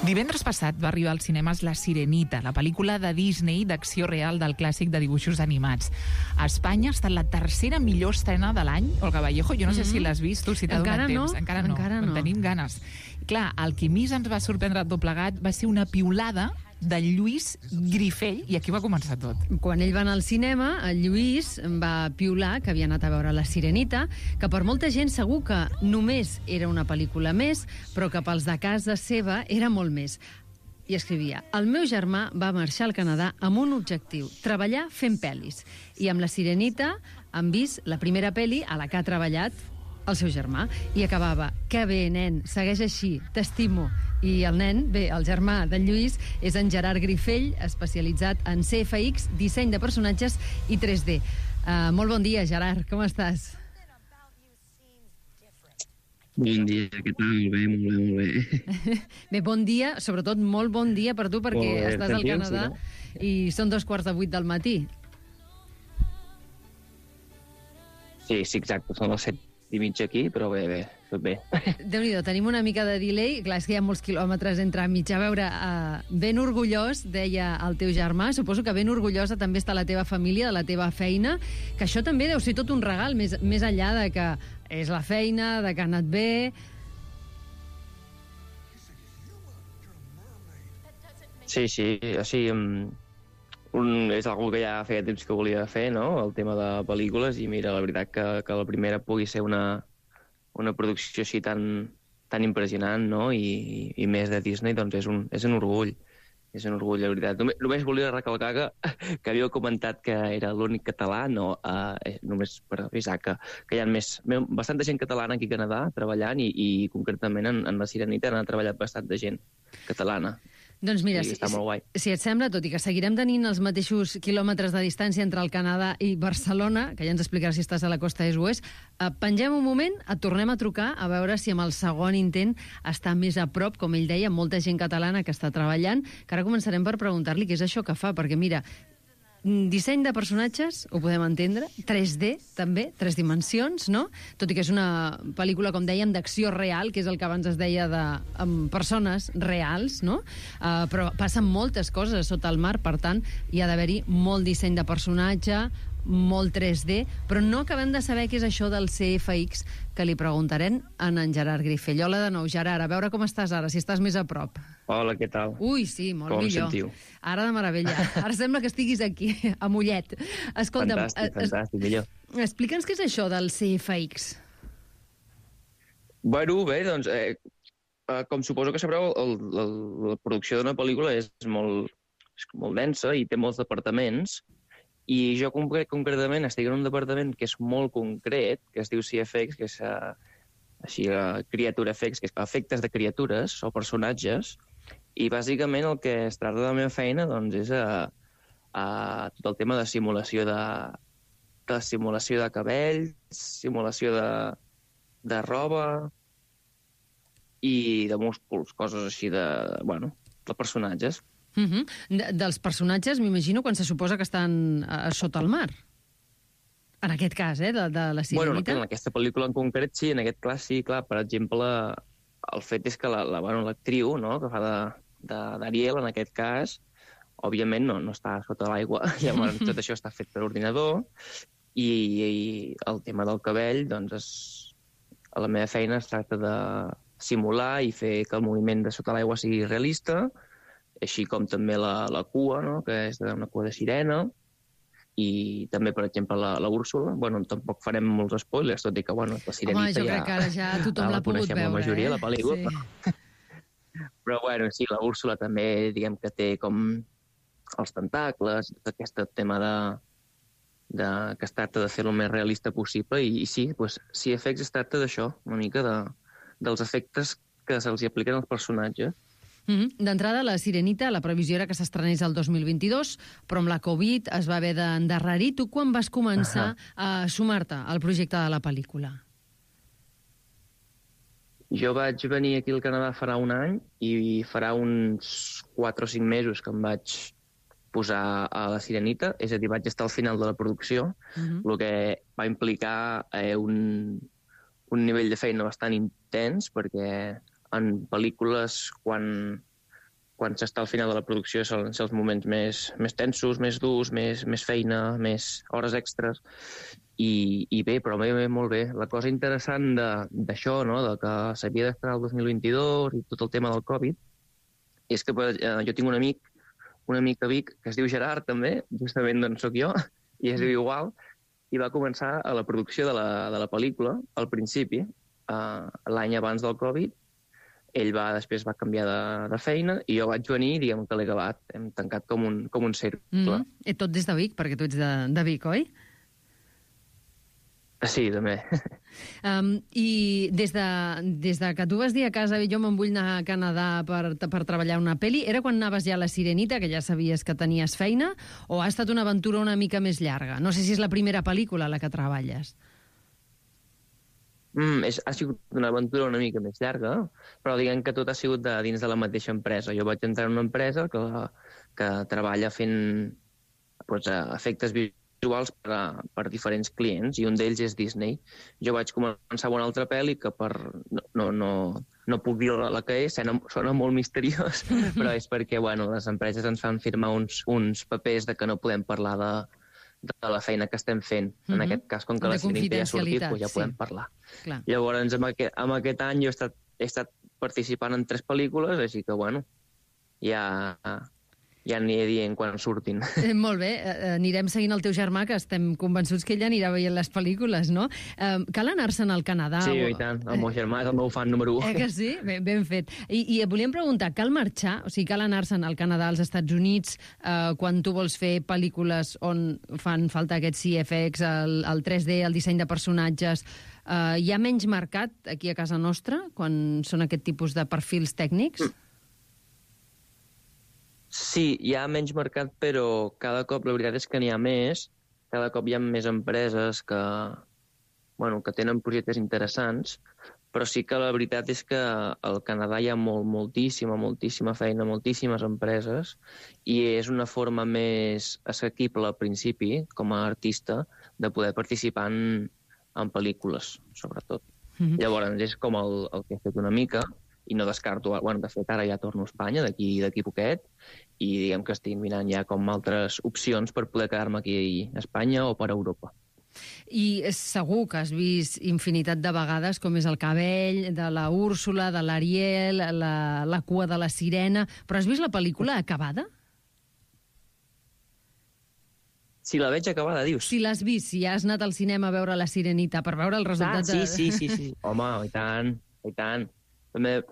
Divendres passat va arribar als cinemes La Sirenita, la pel·lícula de Disney d'acció real del clàssic de dibuixos animats. A Espanya ha estat la tercera millor estrena de l'any. Olga Vallejo, jo no sé si l'has vist, tu, si t'ha donat temps. Encara no. Tenim ganes. Clar, el que més ens va sorprendre tot plegat va ser una piulada de Lluís Grifell, i aquí va començar tot. Quan ell va anar al cinema, el Lluís va piular que havia anat a veure La Sirenita, que per molta gent segur que només era una pel·lícula més, però que pels de casa seva era molt més. I escrivia: el meu germà va marxar al Canadà amb un objectiu, treballar fent pel·lis. I amb La Sirenita han vist la primera pel·li a la que ha treballat el seu germà. I acabava: que bé, nen, segueix així, t'estimo. I el nen, bé, el germà d'en Lluís, és en Gerard Grifell, especialitzat en CFX, disseny de personatges i 3D. Molt bon dia, Gerard, com estàs? Bon dia, què tal? Molt bé. Bé, bon dia, sobretot molt bon dia per tu, perquè estàs al Canadà i són 2:15 del matí. Sí, exacte, són les 7:30 aquí, però bé, tot bé. Déu-n'hi-do, tenim una mica de delay. Clar, és que hi ha molts quilòmetres entre mig. A veure, ben orgullós, deia el teu germà, suposo que ben orgullosa també està la teva família, de la teva feina, que això també deu ser tot un regal, més enllà de que és la feina, de que ha anat bé. Sí, així... és algo que ja feia temps que volia fer, no?, el tema de pel·lícules, i mira, la veritat que la primera pugui ser una producció així tan impressionant, no?, i més de Disney, doncs és un orgull. És un orgull, la veritat. Només volia recalcar que havíeu comentat que era l'únic català, no, només per avisar que hi ha bastanta gent catalana aquí a Canadà treballant, i concretament en La Sirenita han treballat bastanta gent catalana. Doncs mira, si et sembla, tot i que seguirem tenint els mateixos quilòmetres de distància entre el Canadà i Barcelona, que ja ens explicaràs si estàs a la costa est o oest, pengem un moment, et tornem a trucar a veure si amb el segon intent està més a prop, com ell deia, molta gent catalana que està treballant, que ara començarem per preguntar-li què és això que fa, perquè mira, disseny de personatges, ho podem entendre, 3D també, 3 dimensions, no? Tot i que és una pel·lícula, com dèiem, d'acció real, que és el que abans es deia amb persones reals, no? Però passen moltes coses sota el mar, per tant, hi ha d'haver-hi molt disseny de personatge, molt 3D, però no acabem de saber què és això del CFX, que li preguntarem a en Gerard Grifell. Hola de nou, Gerard, a veure com estàs ara, si estàs més a prop. Hola, què tal? Ui, sí, molt com millor. sentiu? Ara de meravella. Ara sembla que estiguis aquí, a Mollet. Escolta'm, fantàstic, millor. Explica'ns què és això del CFX. Bueno, bé, doncs, com suposo que sabreu, la producció d'una pel·lícula és molt densa i té molts departaments, i jo concretament estic en un departament que és molt concret, que es diu CFX, que és Creature Effects, que és efectes de criatures o personatges, i bàsicament el que es tracta de la meva feina doncs, és tot el tema de simulació de cabells, simulació de roba i de músculs, coses així de personatges. Dels personatges, m'imagino, quan se suposa que estan sota el mar. En aquest cas, de la Sirenita. Bueno, en aquesta pel·lícula en concret, sí, en aquest cas sí, clar, per exemple, el fet és que l'actriu, no?, que fa d'Ariel, en aquest cas, òbviament no està sota l'aigua, llavors tot això està fet per ordinador, i el tema del cabell, doncs, a la meva feina es tracta de simular i fer que el moviment de sota l'aigua sigui realista, així com també la cua, no?, que és una cua de sirena, i també, per exemple, la Úrsula. Bueno, tampoc farem molts spoilers, tot i que, la Sirenita home, jo crec que ara ja tothom l'ha pogut veure, la majoria de la pel·lícula. Sí. Però, sí, la Úrsula també, diguem que té com els tentacles, tot aquest tema que es tracta de fer-lo el més realista possible, i sí, CFX es tracta d'això, una mica dels efectes que se'ls apliquen als personatges. D'entrada, La Sirenita, la previsió era que s'estrenés el 2022, però amb la Covid es va haver d'endarrerir. Tu quan vas començar a sumar-te al projecte de la pel·lícula? Jo vaig venir aquí al Canadà farà un any, i farà uns 4 o 5 mesos que em vaig posar a La Sirenita, és a dir, vaig estar al final de la producció, el que va implicar un nivell de feina bastant intens, perquè en pel·lícules, quan quan s'està al final de la producció solen ser els moments més tensos, més durs, més feina, més hores extres, i bé, però bé, molt bé. La cosa interessant d'això, no?, de que s'havia d'estrenar el 2022 i tot el tema del Covid, és que jo tinc un amic a Vic que es diu Gerard també, justament d'on soc jo, i es diu igual, i va començar a la producció de la pel·lícula al principi, l'any abans del Covid. Ell després va canviar de feina i jo vaig venir, diguem que l'he acabat. Hem tancat com un cercle. Tot des de Vic, perquè tu ets de Vic, oi? Sí, també. I des de que tu vas dir a casa jo me'n vull anar a Canadà per treballar una pel·li, era quan anaves ja a la Sirenita, que ja sabies que tenies feina, o ha estat una aventura una mica més llarga? No sé si és la primera pel·lícula a la que treballes. Ha sigut una aventura una mica més llarga, però diguem que tot ha sigut dins de la mateixa empresa. Jo vaig entrar en una empresa que treballa fent efectes visuals per diferents clients, i un d'ells és Disney. Jo vaig començar amb una altra pel·li que no puc dir la que és, sona molt misteriós, però és perquè les empreses ens fan firmar uns papers de que no podem parlar de la feina que estem fent. En aquest cas, com que la Sirenita ja ha sortit, ja podem parlar. Clar. Llavors, en aquest any jo he estat participant en 3 pel·lícules, així que, ja aniré dient quan surtin. Molt bé, anirem seguint el teu germà, que estem convençuts que ell anirà veient les pel·lícules, no? Cal anar-se'n al Canadà? Sí, i tant. El meu germà és el meu fan número 1. Que sí? Ben fet. I volíem preguntar, cal marxar? O sigui, cal anar-se'n al Canadà, als Estats Units, quan tu vols fer pel·lícules on fan falta aquests CFX, el 3D, el disseny de personatges? Hi ha menys mercat aquí a casa nostra, quan són aquest tipus de perfils tècnics? Sí, hi ha menys mercat, però cada cop la veritat és que n'hi ha més. Cada cop hi ha més empreses que tenen projectes interessants, però sí que la veritat és que al Canadà hi ha moltíssima feina, moltíssimes empreses, i és una forma més assequible al principi, com a artista, de poder participar en pel·lícules, sobretot. Llavors, és com el que he fet una mica, i no descarto... de fet, ara ja torno a Espanya, d'aquí poquet, i diguem que estic mirant ja com altres opcions per poder quedar-me aquí a Espanya o per Europa. I segur que has vist infinitat de vegades com és el cabell de la Úrsula, de l'Ariel, la cua de la sirena... Però has vist la pel·lícula acabada? Si la veig acabada, dius? Si l'has vist, si has anat al cinema a veure la Sirenita per veure el resultat... Sí. Home, i tant.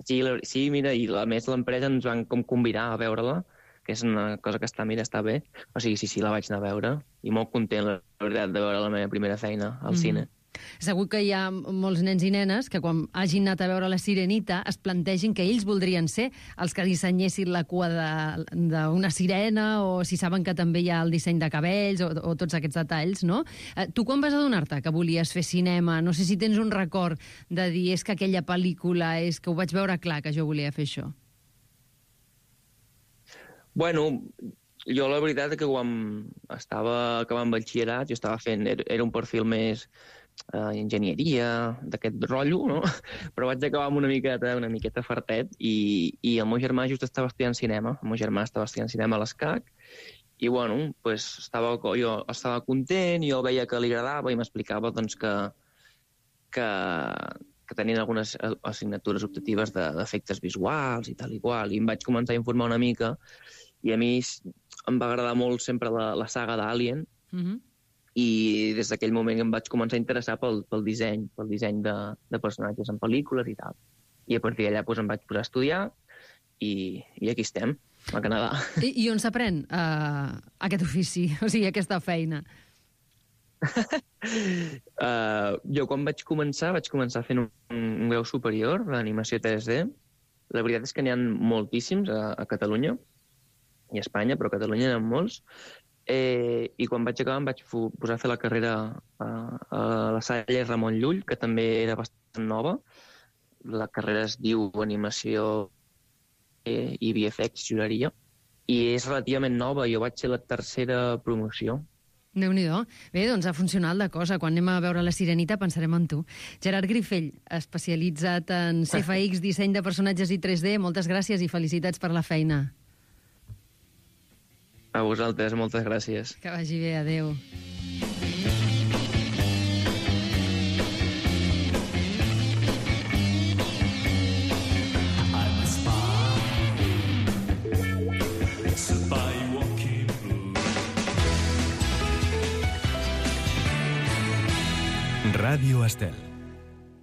Sí, mira, i a més l'empresa ens van com convidar a veure-la, que és una cosa que està bé. O sigui, sí, la vaig anar a veure, i molt content, la veritat, de veure la meva primera feina al cine. Segur que hi ha molts nens i nenes que quan hagin anat a veure la Sirenita es plantegin que ells voldrien ser els que dissenyessin la cua d'una sirena, o si saben que també hi ha el disseny de cabells o tots aquests detalls, no? Tu quan vas adonar-te que volies fer cinema? No sé si tens un record de dir és que aquella pel·lícula, és que ho vaig veure clar que jo volia fer això. Jo la veritat és que quan estava acabant batxillerat, jo estava fent... Era un perfil més enginyeria, d'aquest rotllo, no? Però vaig acabar amb una miqueta fartet, i el meu germà just estava estudiant cinema. El meu germà estava estudiant cinema a l'ESCAC, i jo estava content, jo veia que li agradava i m'explicava que tenien algunes assignatures optatives d'efectes visuals i tal i qual, i em vaig començar a informar una mica, i a mi em va agradar molt sempre la saga d'Alien, i des d'aquell moment em vaig començar a interessar pel disseny de personatges en pel·lícules i tal. I a partir d'allà em vaig posar a estudiar, i aquí estem, a Canadà. I on s'aprèn aquest ofici, o sigui, aquesta feina? Jo quan vaig començar fent un grau superior d'animació 3D. La veritat és que n'hi ha moltíssims a Catalunya i a Espanya, però a Catalunya n'hi ha molts. I quan vaig acabar em vaig posar a fer la carrera a la Salle Ramon Llull, que també era bastant nova. La carrera es diu Animació i VFX, juraria, i és relativament nova. Jo vaig ser la tercera promoció, Déu-n'hi-do. Bé, doncs ha funcionat la cosa. Quan anem a veure La Sirenita pensarem en tu. Gerard Grifell, especialitzat en CFX, disseny de personatges i 3D, moltes gràcies i felicitats per la feina. A vosaltres, moltes gràcies. Que vagi bé, adeu. Ràdio Estel.